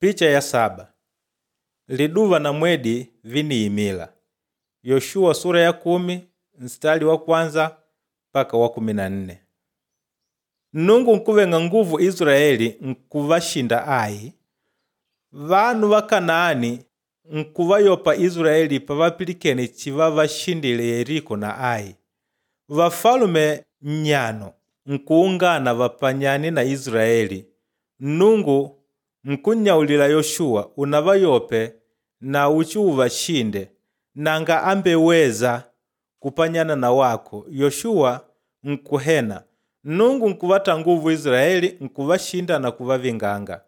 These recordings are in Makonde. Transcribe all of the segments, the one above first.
Picha ya saba liduva na mwedi viniimila. Yoshuwa sura ya 10 mstari wa kwanza mpaka wa 14. Nnungu nkuveng'a nguvu Israeli nkuvashinda Ai. Vanu va Kanaani nkuvayopa Israeli pavapilikene chivavashindile Yeriko na Ai. Vafalume nnyano nkuungana vapanyane na Israeli. Nnungu nkunnyaulila Yoshuwa unavayope na uchiuvashinde nanga ambeweza kupanyana na wako. Yoshuwa nkuhena. Nnungu nkuvata nguvu Israeli nkuvashinda na kuvavinganga.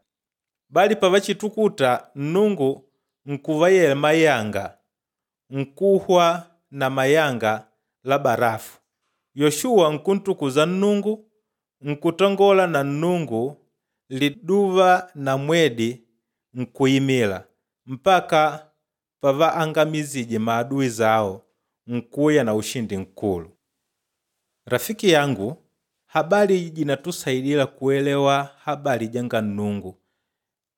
Bali pavachitukuta Nnungu nkuvayela mayanga nkuhwa na mayanga la barafu. Yoshuwa nkuntukuza Nnungu nkutangola na Nnungu liduva na mwedi nkuimila mpaka pavaangamizije maadui zawo nkuya na ushindi nkulu. Rafiki yangu, habari iyi jinatusayidila kuelewa habari janga Nnungu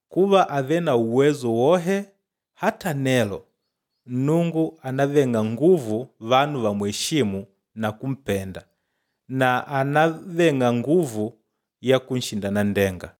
kuva ave na uwezo wohe hata nelo Nnungu anaveng'a nguvu vanu vamweshimu na kumpenda na anaveng'a nguvu ya kunshinda nanndenga.